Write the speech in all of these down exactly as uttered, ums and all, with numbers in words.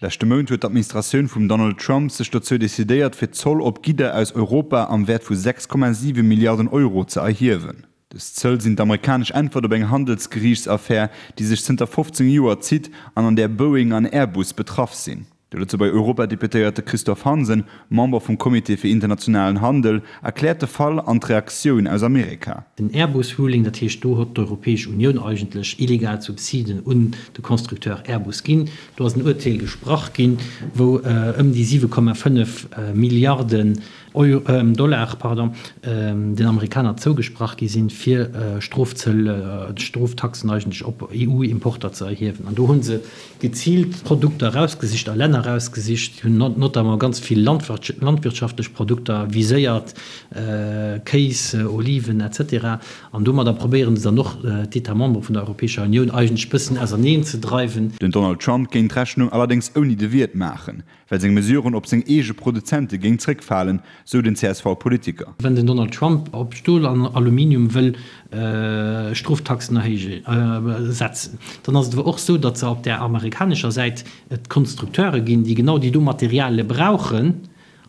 Leschte Mount huet d'Administratioun vum Donald Trump sech dozou decidéiert, fir Zoll op Gidder aus Europa am Wäert vu sechs Komma siwe Milliarden Euro ze erhiewen. Dës Zëll sinn d'amerikanesch Äntwert op eng Handelsgeriichtsaffär, déi sech zënter fofzéng Joer zitt an an där Boeing an Airbus betraff sinn. De Lëtzebuerger Europadeputéierte Christophe Hansen, Member vum Comité fir internationalen Handel, erkläert de Fall an d'Reaktioun aus Amerika. Den Airbus-Ruling, dat heescht do huet d'Europäesch Unioun eigentlech illegal Subsiden un de Constructeur Airbus ginn. Do ass en Urteel gesprach ginn, wou ëm déi siwe Komma fënnef Milliarden Dollar, pardon, den Amerikaner zougesprach gi sinn, fir Strofzëll, Stroftaxen eigentlech op E U-Importer ze erhiewen. An do hu se geziilt Produkter erausgesicht a Länner erausgesicht, hunn notamment ganz vill landwirtschaftlech Produkter viséiert, Kéis, Oliven, et cetera. An domadder probéiere se dann och d'États membres vun der Europäescher Unioun eigentlech bëssen auserneen ze dreiwen. Den Donald Trump géing d'Rechnung allerdéngs ouni de Wiert maachen, well seng Mesuren op seng eege Produzente géing zréckfalen, sou den C S V-Politiker. Wenn den Donald Trump op Stol an Aluminium wëll Stroftaxen erhéijen, setzen, dann ass et awer och sou, datt se op där amerikanescher Säit et Konstrukteure ginn, déi genau déi do Materialie brauchen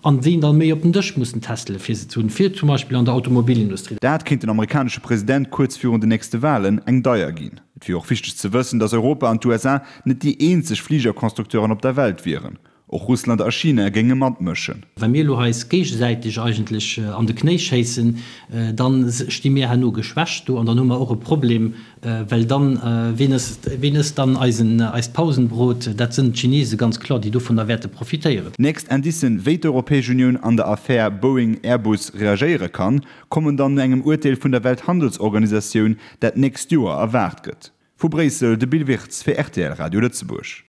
an déi dann méi op den Dësch mussen testele fir se ze hunn, fir zum Beispill an der Automobilindustrie. Dat kéint den amerikanesche President kuerz virun den nächste Walen eng deier ginn. Et wier och wichteg ze wëssen, datt Europa an d'U S A net déi eenzeg Fligerconstructeuren op der Welt wieren. Och Russland a China géinge matmëschen. Wa mir elo eis géigesäiteg eigentlech an de Knéi schéissen, da sti mir herno geschwächt do an dann hu mer och e Problem, well dann, ween ësst, ween ësst dann eisen, eist Pausenbrot? Dat sënn d'Chinese ganz kloer, déi dovunner wäerte profitéieren. Nächst Indicen, wéi d'Europäesch Unioun an der Affär Boeing-Airbus reagéiere kann, kommen dann no engem Urteel vun der Welthandelsorganisatioun, dat d'nächst Joer erwaart gëtt. Vu Bréissel de Bill Wirtz fir R T L Radio Lëtzebuerg.